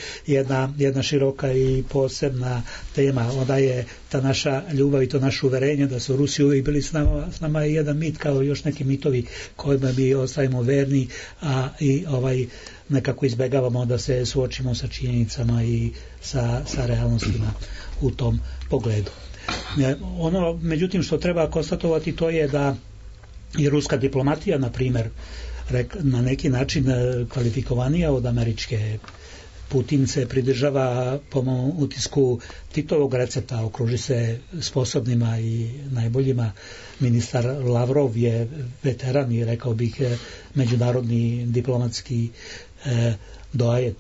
jedna široka i posebna tema. Onda je ta naša ljubav i to naše uverenje da su Rusi uvijek bili s nama je jedan mit, kao još neki mitovi kojima mi ostavimo verni, a i nekako izbegavamo da se suočimo sa činjenicama i sa realnostima u tom pogledu. Ono, međutim, što treba konstatovati, to je da je ruska diplomatija, na primjer, na neki način kvalifikovanija od američke. Putin se pridržava, po mom utisku, Titovog recepta, okruži se sposobnima i najboljima. Ministar Lavrov je veteran i, rekao bih, međunarodni diplomatski doajen.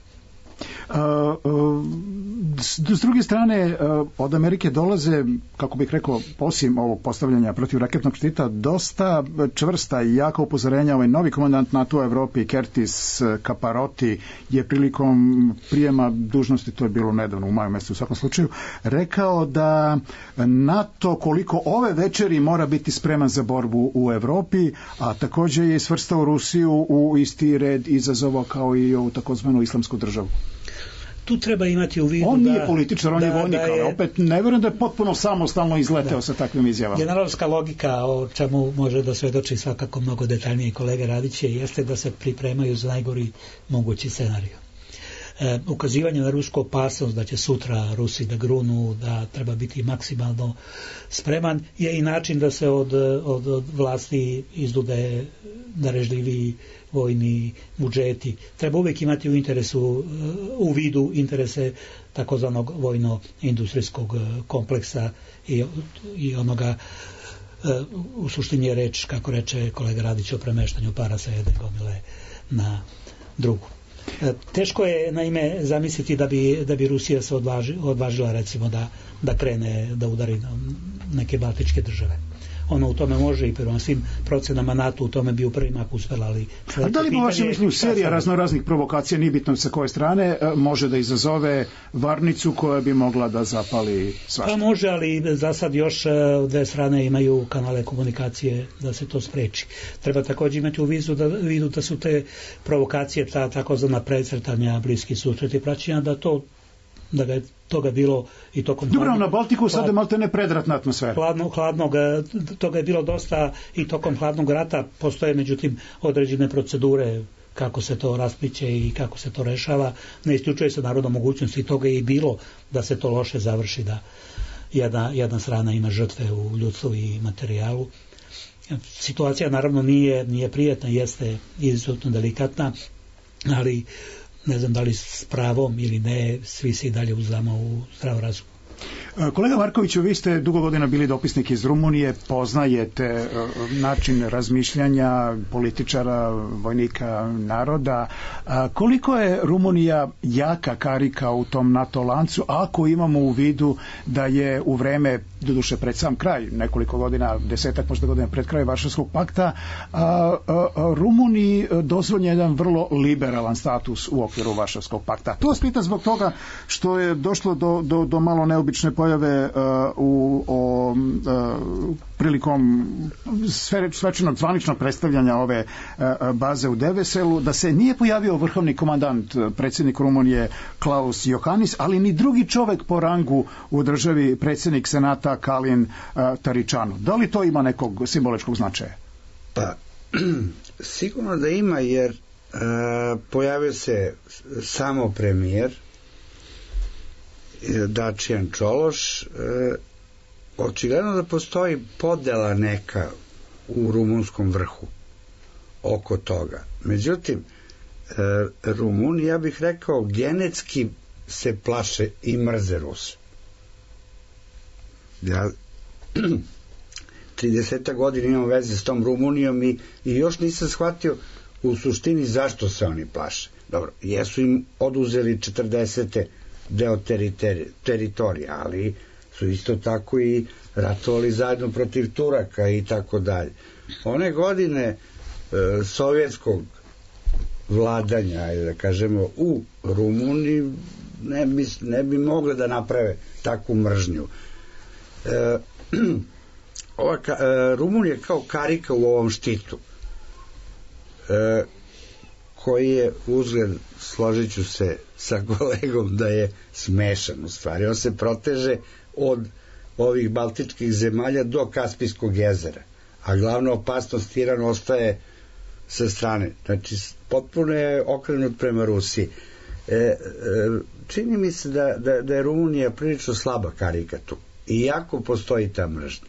S druge strane, od Amerike dolaze, kako bih rekao, osim ovog postavljanja protivraketnog štita, dosta čvrsta i jaka upozorenja. Ovaj novi komandant NATO u Evropi, Curtis Caparoti, je prilikom prijema dužnosti, to je bilo nedavno u maju mjesecu u svakom slučaju, rekao da NATO koliko ove večeri mora biti spreman za borbu u Evropi, a također je svrstao Rusiju u isti red izazova kao i ovu takozvanu islamsku državu. Tu treba imati u vidu on nije političar, on je vojnik, ali opet ne vjerujem da je potpuno samostalno izleteo sa takvim izjavama. Generalska logika, o čemu može da svedoči svakako mnogo detaljnije kolega Radiće, jeste da se pripremaju za najgori mogući scenarij. Ukazivanje na rusku opasnost da će sutra Rusi da grunu, da treba biti maksimalno spreman, je i način da se od vlasti izdude darežljivi vojni budžeti. Treba uvijek imati u vidu interese takozvanog vojno-industrijskog kompleksa i onoga, u suštini je reč, kako reče kolega Radić, o premeštanju para sa jedne gomile na drugu. Teško je naime zamisliti da bi Rusija se odvažila recimo da krene da udari na neke baltičke države. Ono u tome može i prema svim procenama NATO u tome bi u prvi mak uspela, ali... A da li po vašem mišljenju serija raznoraznih provokacija, nije bitno sa koje strane, može da izazove varnicu koja bi mogla da zapali svašta? Pa može, ali za sad još dve strane imaju kanale komunikacije da se to spreči. Treba također imati u vidu da su te provokacije, ta takozvana precrtanja, bliski susreti praćenja, da to da ga je toga bilo i tokom... Dobro, na Baltiku sada je malte ne predratna atmosfera. Toga je bilo dosta i tokom hladnog rata. Postoje međutim određene procedure kako se to raspliće i kako se to rešava. Ne isključuje se naravno mogućnosti, toga je i bilo da se to loše završi, da jedna strana ima žrtve u ljudstvu i materijalu. Situacija naravno nije prijetna, jeste izuzetno delikatna, ali ne znam da li s pravom ili ne, svi se i dalje uzdamo u zdrav razum. Kolega Markoviću, vi ste dugo godina bili dopisnik iz Rumunije, poznajete način razmišljanja političara, vojnika, naroda. Koliko je Rumunija jaka karika u tom NATO lancu, ako imamo u vidu da je u vreme, doduše pred sam kraj, nekoliko godina, 10-ak možda godina pred kraj Varšavskog pakta, Rumuniji dozvoljen jedan vrlo liberalan status u okviru Varšavskog pakta. To vas pitam zbog toga što je došlo do malo neobične pojave prilikom svečanog zvaničnog predstavljanja ove baze u Deveselu, da se nije pojavio vrhovni komandant, predsjednik Rumunije Klaus Iohannis, ali ni drugi čovek po rangu u državi, predsjednik Senata Kalin Taričanu. Da li to ima nekog simboličkog značaja? Pa, sigurno da ima, jer pojavio se samo premijer Dačijan Čološ. Očigledno da postoji podela neka u rumunskom vrhu oko toga. Međutim, Rumuni, ja bih rekao, genetski se plaše i mrze Rus. Ja 30 godina imam veze s tom Rumunijom i još nisam shvatio u suštini zašto se oni plaše. Dobro, jesu im oduzeli 40. deo teritorija, ali su isto tako i ratovali zajedno protiv Turaka i tako dalje. One godine sovjetskog vladanja, da kažemo, u Rumuniji ne bi mogle da naprave takvu mržnju. Rumunija je kao karika u ovom štitu, koji je uzgled, složit ću se sa kolegom, da je smešan u stvari. On se proteže od ovih baltičkih zemalja do Kaspijskog jezera, a glavna opasnost Iran ostaje sa strane. Znači, potpuno je okrenut prema Rusiji. Čini mi se da je Rumunija prilično slaba karika tu, iako postoji ta mržnja.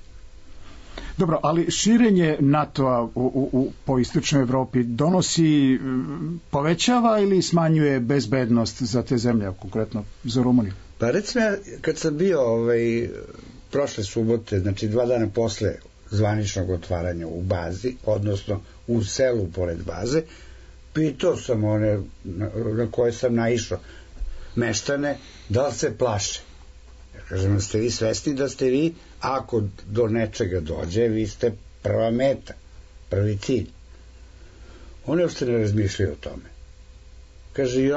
Dobro, ali širenje NATO-a po istočnoj Evropi donosi, povećava ili smanjuje bezbednost za te zemlje, konkretno za Rumuniju? Pa recimo, kad sam bio prošle subote, znači 2 dana posle zvaničnog otvaranja u bazi, odnosno u selu pored baze, pitao sam one na koje sam naišao, meštane, da li se plaše. Ja kažem, ste vi svesni da ste vi, ako do nečega dođe, vi ste prva meta, prvi cilj. Oni uopšte ne razmišljaju o tome. Kaže,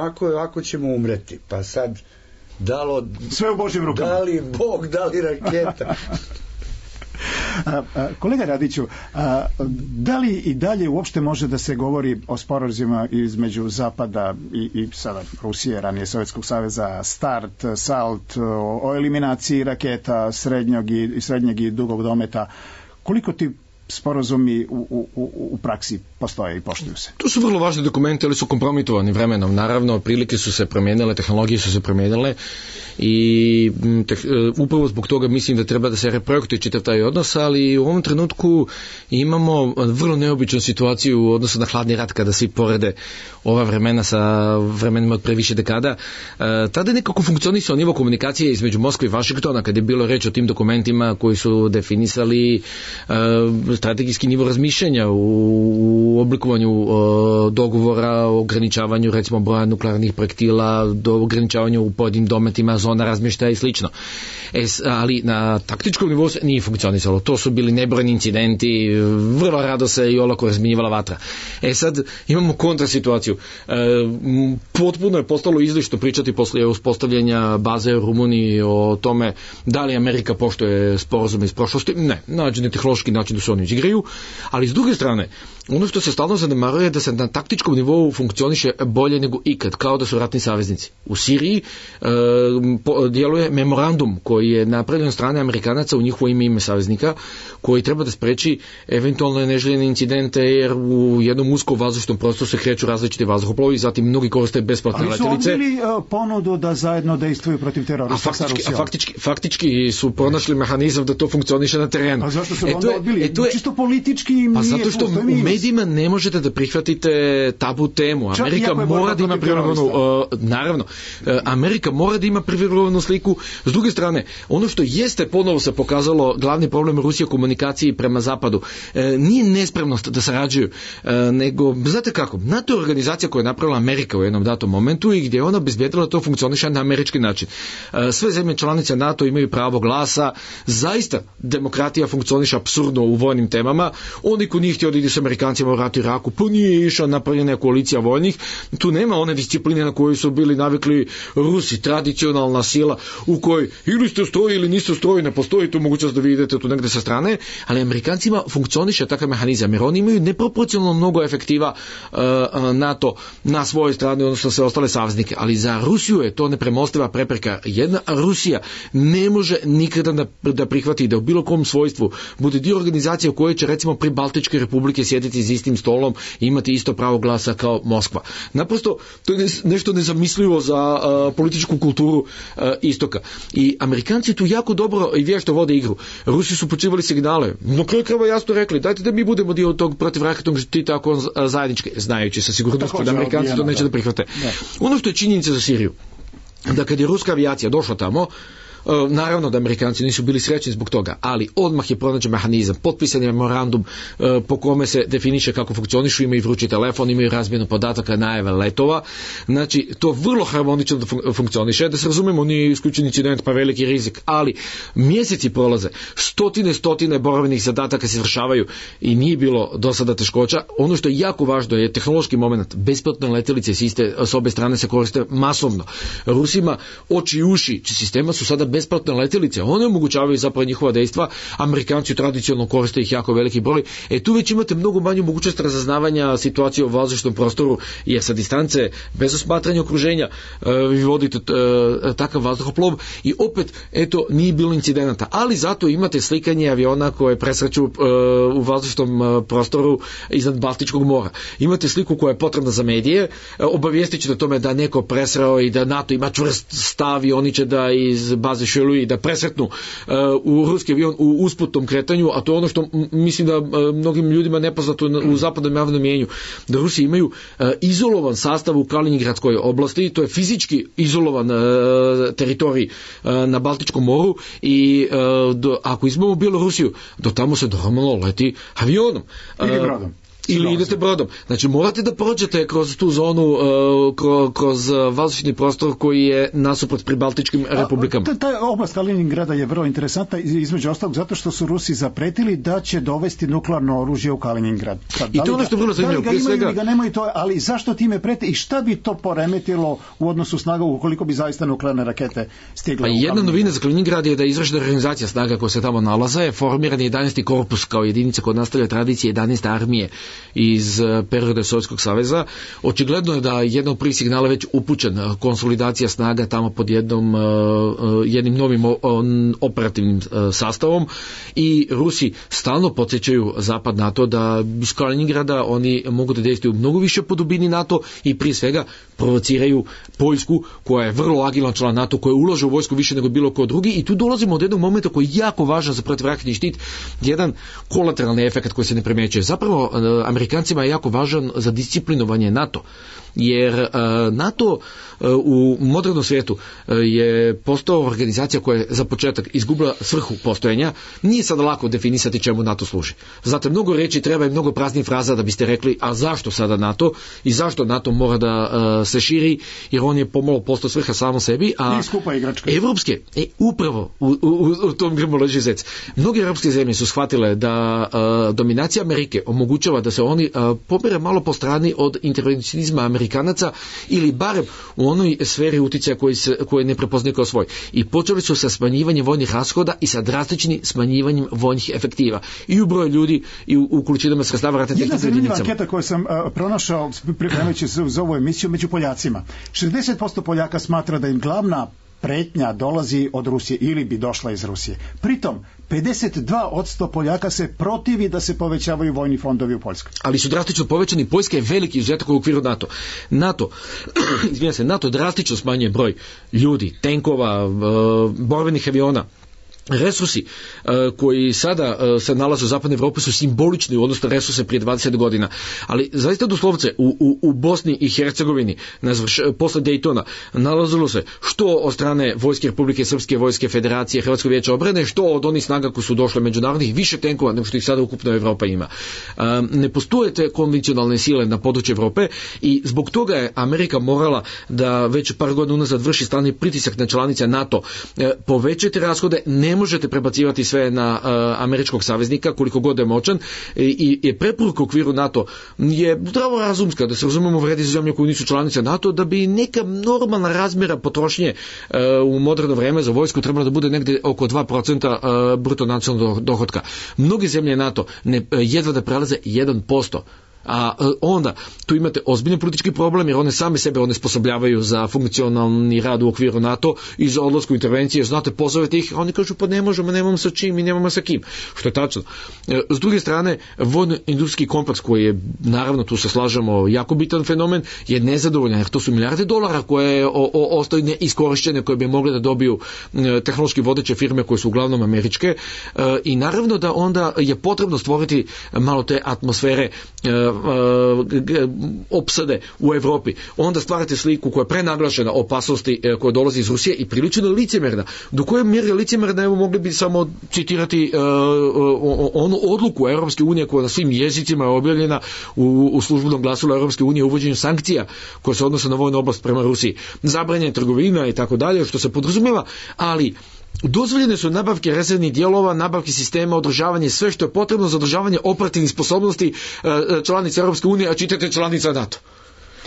ako ćemo umreti, pa sad sve u Božjim rukama. Da li Bog, da li raketa? Kolega Radiću, da li i dalje uopšte može da se govori o sporazumima između Zapada i sada Rusije, ranije Sovjetskog saveza, START, SALT, o eliminaciji raketa srednjeg i dugog dometa? Koliko ti sporazumi u praksi postoje i poštuju se? To su vrlo važni dokumenti, ali su kompromitovani vremenom. Naravno, prilike su se promijenile, tehnologije su se promijenile i upravo zbog toga mislim da treba da se reprojektuje čitav taj odnos, ali u ovom trenutku imamo vrlo neobičnu situaciju u odnosu na hladni rat, kada svi porede ova vremena sa vremenima od pre više dekada. Tada je nekako funkcionisao nivo komunikacije između Moskve i Vašingtona, kada je bilo reč o tim dokumentima koji su definisali strategijski nivo razmišljanja u oblikovanju dogovora o ograničavanju recimo broja nuklearnih projektila, do ograničavanju u pojedinim dometima, zona razmještaja i slično. Ali na taktičkom nivou se nije funkcionisalo. To su bili nebrojni incidenti, vrlo rado se i olako razminjivala vatra. Sad imamo kontrasituaciju. Potpuno je postalo izlišno pričati posle uspostavljanja baze u Rumuniji o tome da li Amerika poštuje sporazume iz prošlosti. Ne, nađen je tehnološki način da se oni već igraju, ali s druge strane, ono što se stalno zanemaruje je da se na taktičkom nivou funkcioniše bolje nego ikad, kao da su ratni saveznici. U Siriji djeluje memorandum koji je napravljen od strane Amerikanaca u njihovo ime saveznika, koji treba da spreči eventualno neželjene incidente, jer u jednom uskom vazdušnom prostoru se kreću različiti vazduhoplovi, zatim mnogi koriste besplatne letelice. Ali su odbili ponudu da zajedno dejstvuju protiv terorista sa Rusijom? Faktički su pronašli mehanizam da to funkcioniše na terenu. A zašto su onda odbili? Čisto politički im nije zato što u medijima ne možete da prihvatite tabu temu. Amerika mora da ima Amerika mora da ima privilegovanu sliku. S druge strane, ono što jeste ponovo se pokazalo glavni problem Rusije u komunikaciji prema zapadu, nije nespremnost da sarađuju, nego, znate kako, NATO je organizacija koja je napravila Amerika u jednom datom momentu i gdje je ona obezbjedila da to funkcioniše na američki način. Sve zemlje članice NATO imaju pravo glasa, zaista demokratija funkcioniše apsurdno u vojnim temama. Oni ko nije htio da ide s Amerikancima u ratu Iraku, pa nije išla napravljena koalicija vojnih, tu nema one discipline na koju su bili navikli Rusi, tradicionalna sila u kojoj ili ste u stroji ili niste u stroji, ne postoji tu mogućnost da vi idete tu negde sa strane, ali Amerikancima funkcioniše takav mehanizam, jer oni imaju neproporcionalno mnogo efektiva NATO na svojoj strani, odnosno sve ostale saveznike, ali za Rusiju je to nepremostiva prepreka. Jedna Rusija ne može nikada da prihvati da u bilo kom svojstvu bude dio organizacije u kojoj će recimo pri Baltičke republike sjediti za istim stolom i imati isto pravo glasa kao Moskva. Naprosto, to je nešto nezamislivo za političku kulturu istoka. I Amerikanci tu jako dobro i vješto vode igru. Rusi su počivali signale. No kraju krava jasno rekli, dajte da mi budemo dio tog protivraketnog štita ako zajedničke, znajući sa sigurnošću da Amerikanci to neće da prihvate. Ono što je činjenica za Siriju, da kad je ruska avijacija došla tamo, naravno da Amerikanci nisu bili srećni zbog toga, ali odmah je pronađen mehanizam, potpisan je memorandum po kome se definiše kako funkcionišu, imaju vrući telefon, imaju razmjenu podataka, najave letova, znači to vrlo harmonično da funkcioniše, da se razumemo, nije isključen incident pa veliki rizik, ali mjeseci prolaze, stotine boravnih zadataka se izvršavaju i nije bilo do sada teškoća. Ono što je jako važno je tehnološki moment, besplatne letelice s obe strane se koriste masovno. Rusima oči i uši sistema su sada besplatne letelice, one omogućavaju zapravo njihova dejstva, Amerikanci tradicionalno koriste ih jako veliki broj, tu već imate mnogo manju mogućnost razaznavanja situacije u vazdušnom prostoru, jer sa distance, bez osmatranja okruženja, vi vodite takav vazduhoplov i opet, nije bilo incidenata, ali zato imate slikanje aviona koje presreću u vazdušnom prostoru iznad Baltičkog mora. Imate sliku koja je potrebna za medije, obavijestit ćete o tome da neko presreo i da NATO ima čvrst stav i oni će da iz baze Šeluji da presretnu u ruski avion u usputnom kretanju, a to je ono što mislim da mnogim ljudima nepoznato u zapadnom javnom mjenju, da Rusi imaju izolovan sastav u Kaliningradskoj oblasti, to je fizički izolovan teritorij na Baltičkom moru i ako izmamo Bjelorusiju, do tamo se normalno leti avionom. Ili idete brodom. Znači morate da prođete kroz tu zonu, kroz vazdušni prostor koji je nasuprot pribaltičkim republikama. Ta oblast Kaliningrada je vrlo interesantna, između ostalog zato što su Rusi zapretili da će dovesti nuklearno oružje u Kaliningrad. I to je ono što je vrlo zanimljivo. Da li ga imaju ili ga nemaju, ali zašto time prete i šta bi to poremetilo u odnosu snaga ukoliko bi zaista nuklearne rakete stigle u Kaliningrad? Jedna novina za Kaliningrad je da je izvršena organizacija snaga koja se tamo nalaze, formiran je 11. korpus kao jedinica koja nastavlja tradicije 11. armije iz perioda Sovjetskog saveza. Očigledno je da jedna od prvih signala već upućen, konsolidacija snaga tamo pod jednim novim operativnim sastavom i Rusi stalno podsjećaju zapad NATO da iz Kaliningrada oni mogu da dejstvuju mnogo više po dubini NATO i prije svega provociraju Poljsku koja je vrlo agilan član NATO, koja ulaže u vojsku više nego bilo ko drugi i tu dolazimo od jednog momenta koji je jako važan za protivraketni štit, jedan kolateralni efekt koji se ne primjećuje. Zapravo Amerikancima je jako važan za disciplinovanje NATO, jer NATO u modernom svijetu je postao organizacija koja je za početak izgubila svrhu postojanja. Nije sada lako definisati čemu NATO služi. Zato mnogo reći treba i mnogo praznih fraza da biste rekli, a zašto sada NATO i zašto NATO mora da se širi, jer on je pomalo postao svrha samo sebi, a evropske, upravo u tom grmu leži zec. Mnoge evropske zemlje su shvatile da dominacija Amerike omogućava da se oni pomere malo po strani od intervencionizma Amerikanaca ili barem u onoj sferi uticaja koje ne prepoznaju kao svoj. I počeli su sa smanjivanjem vojnih rashoda i sa drastičnim smanjivanjem vojnih efektiva. I u broju ljudi i u količinama sredstava ratne tehnike. Jedna zanimljiva anketa koju sam pronašao pripremajući se za ovu emisiju među Poljacima. 60% Poljaka smatra da im glavna pretnja dolazi od Rusije ili bi došla iz Rusije. Pritom, 52% Poljaka se protivi da se povećavaju vojni fondovi u Poljskoj. Ali su drastično povećani. Poljska je veliki izuzetak u okviru NATO drastično smanjuje broj ljudi, tenkova, borbenih aviona. Resursi koji sada se nalaze u zapadnoj Evropi su simbolični u odnosu na resurse prije 20 godina. Ali zaista doslovce u Bosni i Hercegovini posle Dejtona nalazilo se što od strane Vojske Republike Srpske, Vojske Federacije, Hrvatskog vijeća obrane, što od onih snaga koji su došle međunarodnih, više tenkova nego što ih sada ukupno Evropa ima. Ne postoje te konvencionalne sile na području Evrope i zbog toga je Amerika morala da već par godina unazad vrši stalni pritisak na članice NATO. Povećajte rashode, ne možete prebacivati sve na američkog saveznika koliko god je moćan i preporuka u okviru NATO je zdravo razumska, da se razumemo, vredi za zemlje koje nisu članice NATO, da bi neka normalna razmjera potrošnje u moderno vreme za vojsku trebalo da bude negde oko 2% bruto nacionalnog dohotka. Mnoge zemlje NATO jedva da prelaze 1%. A onda tu imate ozbiljni politički problem jer one same sebe onesposobljavaju za funkcionalni rad u okviru NATO i za odlasku intervencije. Znate, pozovete ih, a oni kažu pa ne možemo, nemamo sa čim i nemamo sa kim. Što je tačno. S druge strane, vojno-industrijski kompleks koji je, naravno tu se slažemo, jako bitan fenomen, je nezadovoljan jer to su milijarde dolara koje ostaju neiskorišćene, koje bi mogle da dobiju tehnološki vodeće firme koje su uglavnom američke i naravno da onda je potrebno stvoriti malo te atmosfere opsade u Evropi. Onda stvarate sliku koja je prenaglašena opasnosti koja dolazi iz Rusije i prilično licemjerna. Do koje mjere licemjerna, evo mogli bi samo citirati onu odluku Europske unije koja na svim jezicima je objavljena u službenom glasilu Europske unije o uvođenju sankcija koje se odnose na vojnu oblast prema Rusiji. Zabranjena trgovina i tako dalje, što se podrazumijeva, ali dozvoljene su nabavke rezervnih dijelova, nabavke sistema, održavanje, sve što je potrebno za održavanje operativnih sposobnosti članica Europske unije, a čitate članica NATO.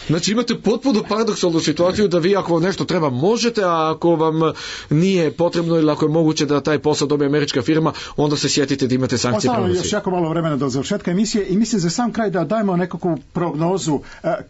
Znači imate potpuno paradoksalnu situaciju da vi ako nešto treba možete, a ako vam nije potrebno ili ako je moguće da taj posao dobije američka firma, onda se sjetite da imate sankcije prema Rusiji. Još jako malo vremena do završetka emisije i mislim za sam kraj da dajemo nekakvu prognozu.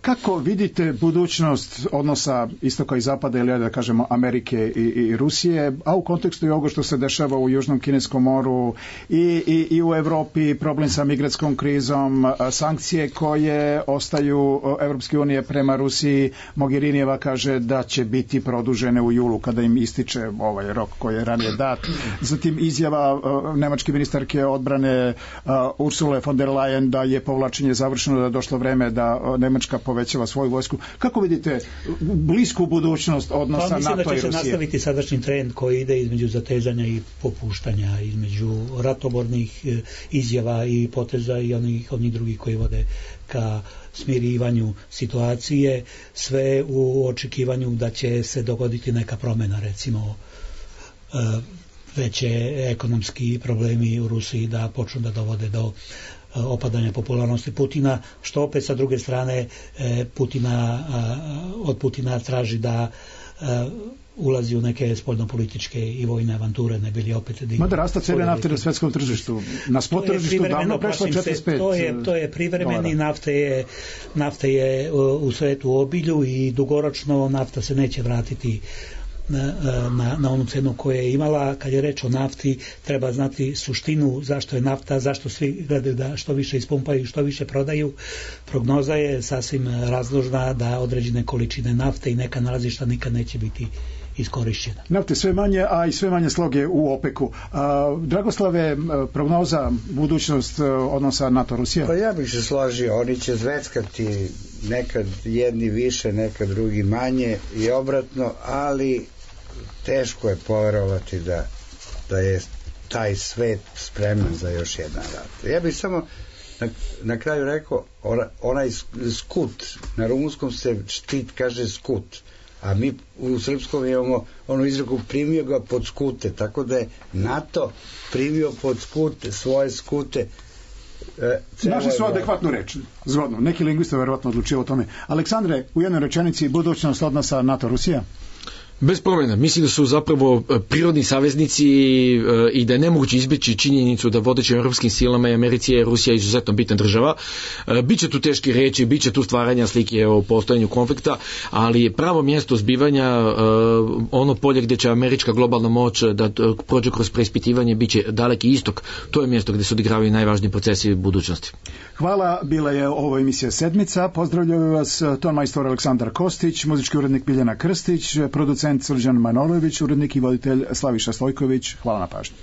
Kako vidite budućnost odnosa istoka i zapada ili da kažemo Amerike i Rusije, a u kontekstu i ovoga što se dešava u Južnom Kineskom moru i u Evropi, problem sa migrantskom krizom, sankcije koje ostaju Evropske unije prema Rusiji. Mogherinijeva kaže da će biti produžene u julu kada im ističe ovaj rok koji je ranije dat. Zatim izjava nemačke ministarke odbrane Ursule von der Leyen da je povlačenje završeno, da je došlo vreme da Nemačka povećava svoju vojsku. Kako vidite blisku budućnost odnosa NATO i Rusije? Mislim da će se nastaviti sadašnji trend koji ide između zatezanja i popuštanja, između ratobornih izjava i poteza i onih drugih koji vode ka smirivanju situacije, sve u očekivanju da će se dogoditi neka promjena, recimo veće ekonomski problemi u Rusiji da počnu da dovode do opadanja popularnosti Putina, što opet sa druge strane od Putina traži da ulazi u neke spoljnopolitičke i vojne avanture, ne bili opet... Mada rasta cijene nafte na svjetskom tržištu, na spot tržištu davno prešlo 45. To je privremeni, nafta je u svetu u obilju i dugoročno nafta se neće vratiti na onu cenu koju je imala. Kad je reč o nafti, treba znati suštinu zašto je nafta, zašto svi gledaju da što više ispumpaju, što više prodaju. Prognoza je sasvim razložna da određene količine nafte i neka nalazišta nikad neće biti iskorišćena. Nafte sve manje, a i sve manje sloge u OPEC-u. Dragoslave, prognoza, budućnost odnosa NATO-Rusija? Pa ja bih se složio, oni će zveckati nekad jedni više, nekad drugi manje i obratno, ali teško je poverovati da je taj svet spreman za još jedan rat. Ja bih samo na kraju rekao, onaj skut, na rumunskom se štit kaže skut, a mi u srpskom imamo onu izreku primio ga pod skute, tako da je NATO primio pod skute, svoje skute Našli su adekvatnu reč, zgodno. Neki lingvista verovatno odlučio o tome. Aleksandre, u jednoj rečenici, budućnost odnosa NATO-Rusija? Bez promjena. Mislim da su zapravo prirodni saveznici i da je nemoguće izbjeći činjenicu da vodećim europskim silama i Americi je Rusija izuzetno bitna država. Biće tu teški reči, biće tu stvaranja slike o postojanju konflikta, ali pravo mjesto zbivanja, ono polje gdje će američka globalna moć da prođe kroz preispitivanje, biće Daleki istok. To je mjesto gdje se odigravaju najvažniji procesi budućnosti. Hvala, bila je ovo emisija Sedmica. Pozdravljaju vas ton majstor Aleksandar Kostić, muzički urednik Biljana Krstić, producent Srđan Manojlović, urednik i voditelj Slaviša Stojković. Hvala na pažnji.